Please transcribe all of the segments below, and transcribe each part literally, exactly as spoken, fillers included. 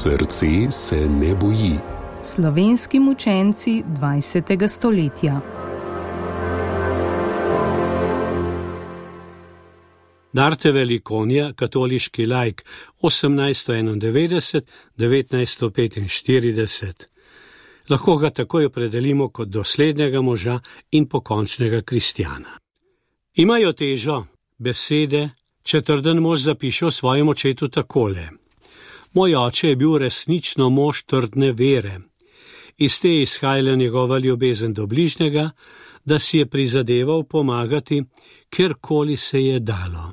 Srce se ne boji. Slovenski mučenci dvajsetega stoletja. Narte Velikonja, katoliški laik, osemnajststo enaindevetdeset do devetnajststo petinštirideset. Lahko ga takoj opredelimo kot doslednega moža in pokončnega kristjana. Imajo težo besede, četrden mož zapiše o svojem očetu takole. Moj oče je bil resnično mož trdne vere. Iz te je izhajala njegova ljubezen do bližnjega, da si je prizadeval pomagati, kjerkoli se je dalo.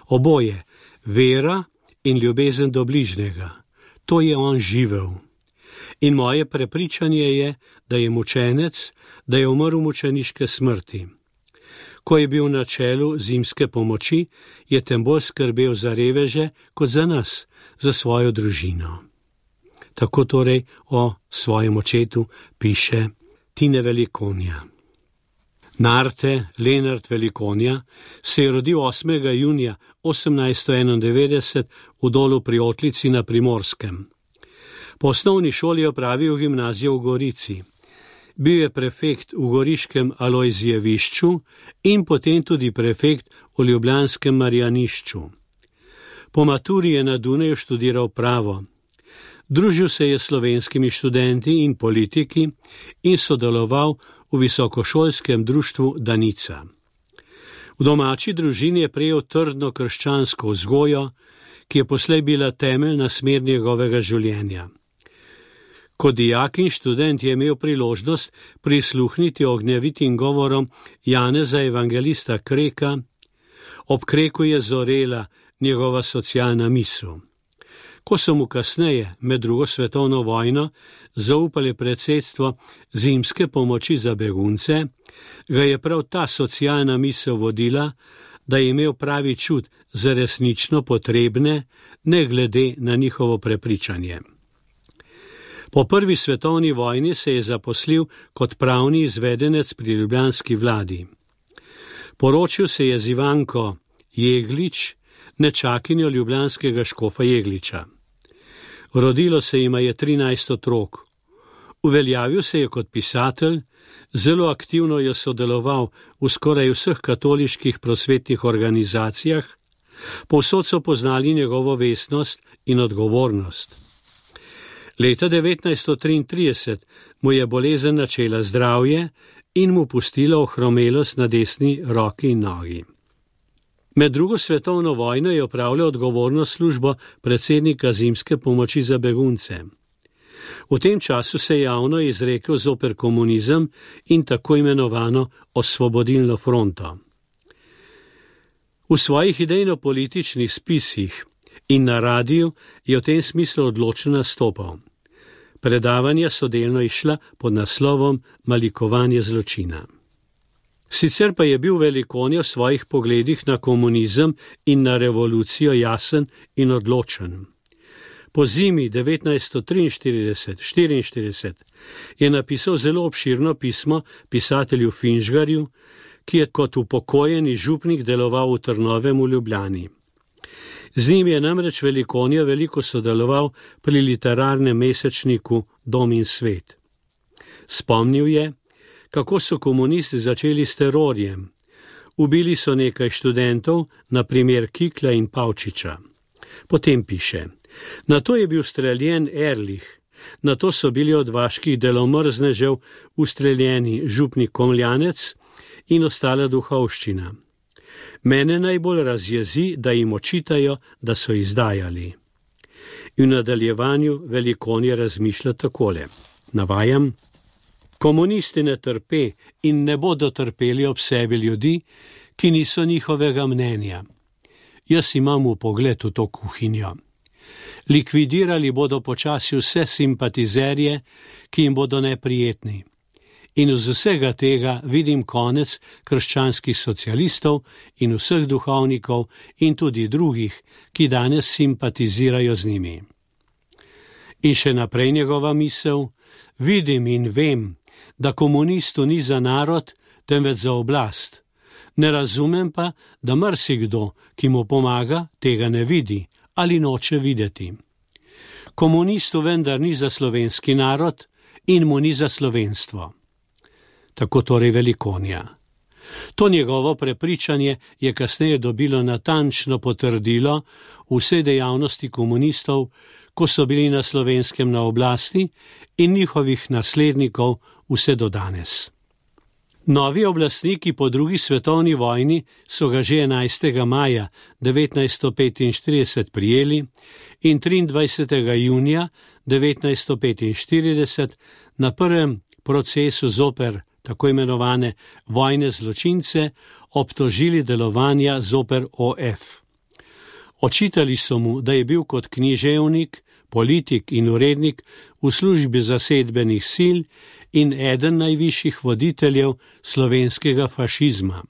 Oboje, vera in ljubezen do bližnjega, to je on živel. In moje prepričanje je, da je mučenec, da je umrl mučeniške smrti. Ko je bil na čelu zimske pomoči, je tem bolj skrbel za reveže kot za nas, za svojo družino. Tako torej o svojem očetu piše Tine Velikonja. Narte Lenart Velikonja se je rodil osmega junija osemnajststo enaindevetdeset v Dolu pri Otlici na Primorskem. Po osnovni šoli je opravil gimnazijo v Gorici. Bil je prefekt v goriškem Alojzijevišču in potem tudi prefekt v ljubljanskem Marjanišču. Po maturi je na Dunaju študiral pravo. Družil se je s slovenskimi študenti in politiki in sodeloval v visokošolskem društvu Danica. V domači družini je prejel trdno krščansko vzgojo, ki je poslej bila temeljna smer njegovega življenja. Kot dijak in študent je imel priložnost prisluhniti ognjevitim govorom Janeza evangelista Kreka. Ob Kreku je zorela njegova socialna misel. Ko so mu kasneje, med drugo svetovno vojno, zaupali predsedstvo zimske pomoči za begunce, ga je prav ta socialna misel vodila, da je imel pravi čut za resnično potrebne, ne glede na njihovo prepričanje. Po prvi svetovni vojni se je zaposlil kot pravni izvedenec pri ljubljanski vladi. Poročil se je z Ivanko Jeglič, nečakinjo ljubljanskega škofa Jegliča. Rodilo se jima je trinajst otrok. Uveljavil se je kot pisatelj, zelo aktivno je sodeloval v skoraj vseh katoliških prosvetnih organizacijah, povsod so poznali njegovo vestnost in odgovornost. Leta devetnajststo triintrideset mu je bolezen načela zdravje in mu pustila ohromelost na desni roki in nogi. Med drugo svetovno vojno je opravljal odgovorno službo predsednika zimske pomoči za begunce. V tem času se je javno izrekel zoper komunizem in tako imenovano osvobodilno fronto. V svojih idejno-političnih spisih in na radiju je v tem smislu odločno nastopal. Predavanja so delno išla pod naslovom Malikovanje zločina. Sicer pa je bil Velikonja v svojih pogledih na komunizem in na revolucijo jasen in odločen. Po zimi devetnajststo triinštirideset do štiriinštirideset je napisal zelo obširno pismo pisatelju Finžgarju, ki je kot upokojeni župnik deloval v Trnovem v Ljubljani. Z njim je namreč Velikonja veliko sodeloval pri literarnem mesečniku Dom in svet. Spomnil je, kako so komunisti začeli s terorjem. Ubili so nekaj študentov, na primer Kikla in Pavčiča. Potem piše, nato je bil streljen Erlih, nato so bili od vaških delomrznežev ustreljeni župnik Komljanec in ostala duhovščina. Mene najbolj razjezi, da jim očitajo, da so izdajali. In v nadaljevanju Velikonja razmišlja takole, navajam, komunisti ne trpe in ne bodo trpeli ob sebi ljudi, ki niso njihovega mnenja. Jaz imam v pogled v to kuhinjo. Likvidirali bodo počasi vse simpatizerje, ki jim bodo neprijetni. In z vsega tega vidim konec krščanskih socialistov in vseh duhovnikov in tudi drugih, ki danes simpatizirajo z njimi. In še naprej njegova misel, vidim in vem, da komunistu ni za narod, temveč za oblast. Ne razumem pa, da marsikdo, ki mu pomaga, tega ne vidi ali noče videti. Komunistu vendar ni za slovenski narod in mu ni za slovenstvo. Tako torej Velikonja. To njegovo prepričanje je kasneje dobilo natančno potrdilo vse dejavnosti komunistov, ko so bili na Slovenskem na oblasti, in njihovih naslednikov vse do danes. Novi oblastniki po drugi svetovni vojni so ga že enajstega maja devetnajststo petinštirideset prijeli in triindvajsetega junija devetnajststo petinštirideset na prvem procesu zoper tako imenovane vojne zločince obtožili delovanja zoper O F. Očitali so mu, da je bil kot književnik, politik in urednik v službi zasedbenih sil in eden najvišjih voditeljev slovenskega fašizma.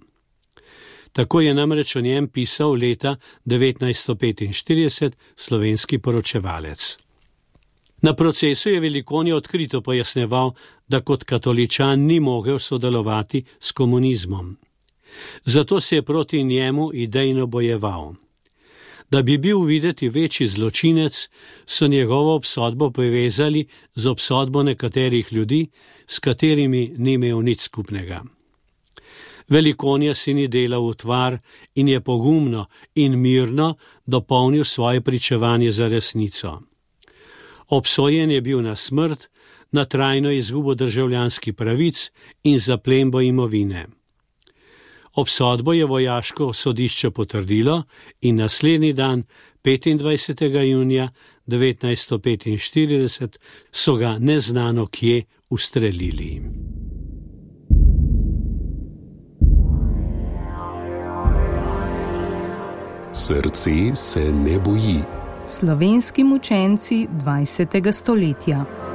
Tako je namreč o njem pisal leta devetnajststo petinštirideset slovenski poročevalec. Na procesu je Velikonja odkrito pojasnjeval, da kot katoličan ni mogel sodelovati s komunizmom. Zato se je proti njemu idejno bojeval. Da bi bil videti večji zločinec, so njegovo obsodbo povezali z obsodbo nekaterih ljudi, s katerimi ni imel nič skupnega. Velikonja si ni delal utvar in je pogumno in mirno dopolnil svoje pričevanje za resnico. Obsojen je bil na smrt, na trajno izgubo državljanskih pravic in zaplembo imovine. Obsodbo je vojaško sodišče potrdilo in naslednji dan, petindvajsetega junija devetnajststo petinštirideset, so ga neznano kje ustrelili. Srce se ne boji. Slovenski mučenci dvajsetega stoletja.